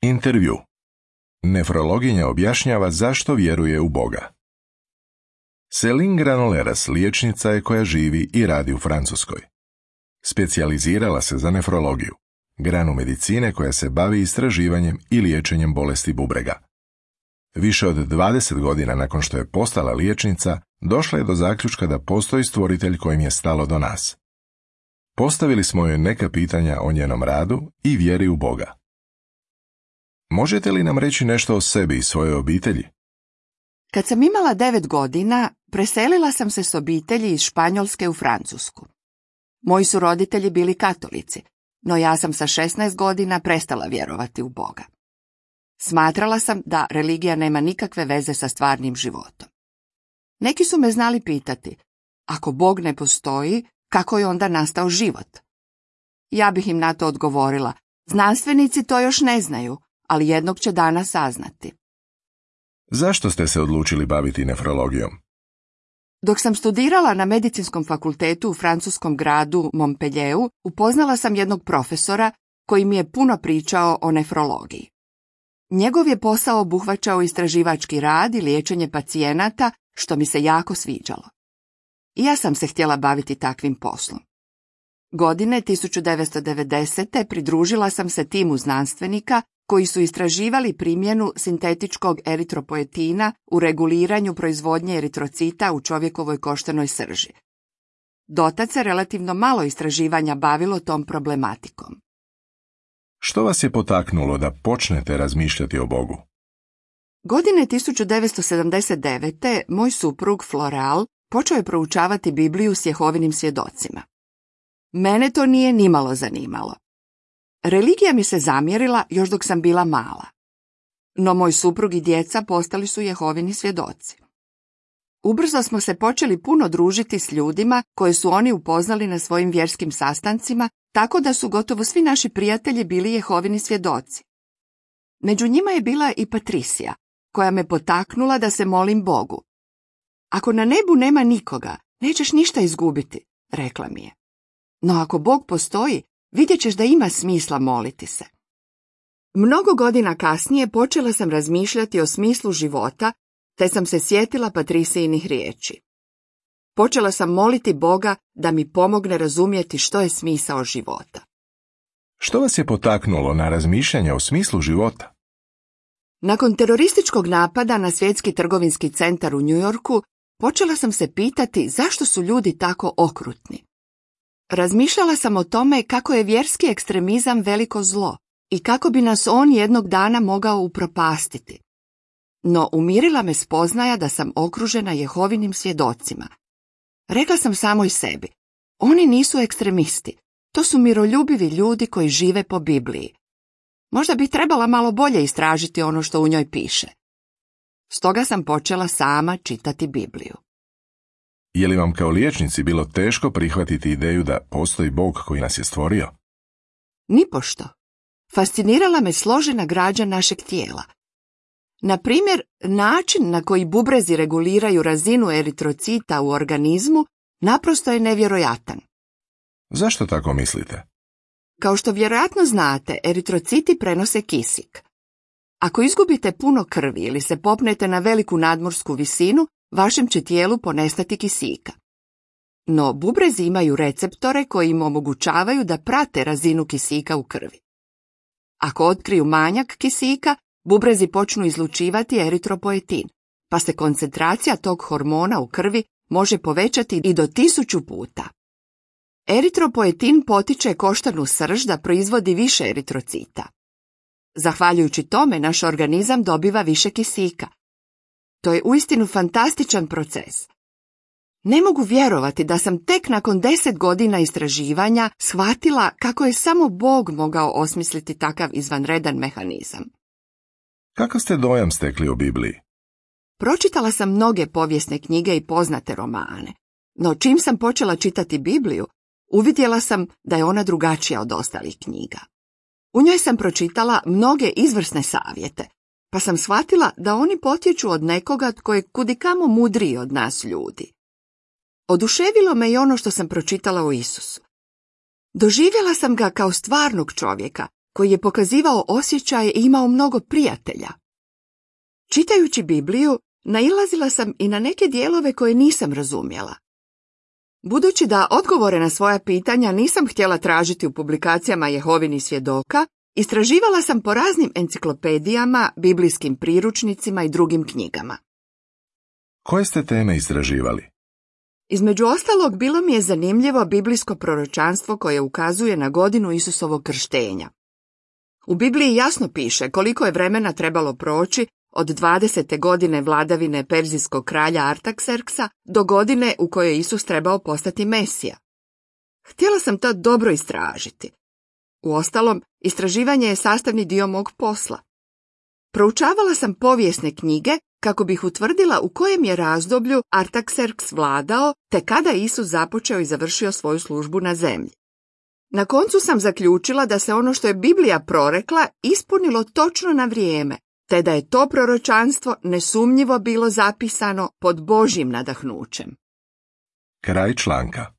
Intervju. Nefrologinja objašnjava zašto vjeruje u Boga. Céline Granollers liječnica je koja živi i radi u Francuskoj. Specijalizirala se za nefrologiju, granu medicine koja se bavi istraživanjem i liječenjem bolesti bubrega. Više od 20 godina nakon što je postala liječnica, došla je do zaključka da postoji stvoritelj kojim je stalo do nas. Postavili smo joj neka pitanja o njenom radu i vjeri u Boga. Možete li nam reći nešto o sebi i svojoj obitelji? Kad sam imala 9 godina, preselila sam se s obitelji iz Španjolske u Francusku. Moji su roditelji bili katolici, no ja sam sa 16 godina prestala vjerovati u Boga. Smatrala sam da religija nema nikakve veze sa stvarnim životom. Neki su me znali pitati, ako Bog ne postoji, kako je onda nastao život? Ja bih im na to odgovorila, znanstvenici to još ne znaju, ali jednog će dana saznati. Zašto ste se odlučili baviti nefrologijom? Dok sam studirala na medicinskom fakultetu u francuskom gradu Montpellieru, upoznala sam jednog profesora koji mi je puno pričao o nefrologiji. Njegov je posao obuhvaćao istraživački rad i liječenje pacijenata, što mi se jako sviđalo. I ja sam se htjela baviti takvim poslom. Godine 1990. pridružila sam se timu znanstvenika koji su istraživali primjenu sintetičkog eritropoetina u reguliranju proizvodnje eritrocita u čovjekovoj koštanoj srži. Dotad se relativno malo istraživanja bavilo tom problematikom. Što vas je potaknulo da počnete razmišljati o Bogu? Godine 1979. moj suprug Floral počeo je proučavati Bibliju s Jehovinim svjedocima. Mene to nije nimalo zanimalo. Religija mi se zamjerila još dok sam bila mala. No moj suprug i djeca postali su Jehovini svjedoci. Ubrzo smo se počeli puno družiti s ljudima koje su oni upoznali na svojim vjerskim sastancima, tako da su gotovo svi naši prijatelji bili Jehovini svjedoci. Među njima je bila i Patricija, koja me potaknula da se molim Bogu. Ako na nebu nema nikoga, nećeš ništa izgubiti, rekla mi je. No ako Bog postoji, vidjet ćeš da ima smisla moliti se. Mnogo godina kasnije počela sam razmišljati o smislu života, te sam se sjetila Patricijinih riječi. Počela sam moliti Boga da mi pomogne razumjeti što je smisao života. Što vas je potaknulo na razmišljanje o smislu života? Nakon terorističkog napada na Svjetski trgovinski centar u New Yorku, počela sam se pitati zašto su ljudi tako okrutni. Razmišljala sam o tome kako je vjerski ekstremizam veliko zlo i kako bi nas on jednog dana mogao upropastiti. No umirila me spoznaja da sam okružena Jehovinim svjedocima. Rekla sam samoj sebi, oni nisu ekstremisti, to su miroljubivi ljudi koji žive po Bibliji. Možda bi trebala malo bolje istražiti ono što u njoj piše. Stoga sam počela sama čitati Bibliju. Je li vam kao liječnici bilo teško prihvatiti ideju da postoji Bog koji nas je stvorio? Nipošto. Fascinirala me složena građa našeg tijela. Na primjer, način na koji bubrezi reguliraju razinu eritrocita u organizmu naprosto je nevjerojatan. Zašto tako mislite? Kao što vjerojatno znate, eritrociti prenose kisik. Ako izgubite puno krvi ili se popnete na veliku nadmorsku visinu, vašem će tijelu ponestati kisika. No bubrezi imaju receptore koji im omogućavaju da prate razinu kisika u krvi. Ako otkriju manjak kisika, bubrezi počnu izlučivati eritropoetin, pa se koncentracija tog hormona u krvi može povećati i do 1000 puta. Eritropoetin potiče koštanu srž da proizvodi više eritrocita. Zahvaljujući tome, naš organizam dobiva više kisika. To je uistinu fantastičan proces. Ne mogu vjerovati da sam tek nakon 10 godina istraživanja shvatila kako je samo Bog mogao osmisliti takav izvanredan mehanizam. Kakav ste dojam stekli o Bibliji? Pročitala sam mnoge povijesne knjige i poznate romane, no čim sam počela čitati Bibliju, uvidjela sam da je ona drugačija od ostalih knjiga. U njoj sam pročitala mnoge izvrsne savjete, pa sam shvatila da oni potječu od nekoga tko je kudikamo mudriji od nas ljudi. Oduševilo me i ono što sam pročitala o Isusu. Doživjela sam ga kao stvarnog čovjeka, koji je pokazivao osjećaje i imao mnogo prijatelja. Čitajući Bibliju, nailazila sam i na neke dijelove koje nisam razumjela. Budući da odgovore na svoja pitanja nisam htjela tražiti u publikacijama Jehovinih svjedoka, istraživala sam po raznim enciklopedijama, biblijskim priručnicima i drugim knjigama. Koje ste teme istraživali? Između ostalog, bilo mi je zanimljivo biblijsko proročanstvo koje ukazuje na godinu Isusovog krštenja. U Bibliji jasno piše koliko je vremena trebalo proći od 20. godine vladavine perzijskog kralja Artakserksa do godine u kojoj je Isus trebao postati Mesija. Htjela sam to dobro istražiti. Uostalom, istraživanje je sastavni dio mog posla. Proučavala sam povijesne knjige kako bih utvrdila u kojem je razdoblju Artakserks vladao te kada je Isus započeo i završio svoju službu na zemlji. Na koncu sam zaključila da se ono što je Biblija prorekla ispunilo točno na vrijeme, te da je to proročanstvo nesumnjivo bilo zapisano pod Božjim nadahnućem. Kraj članka.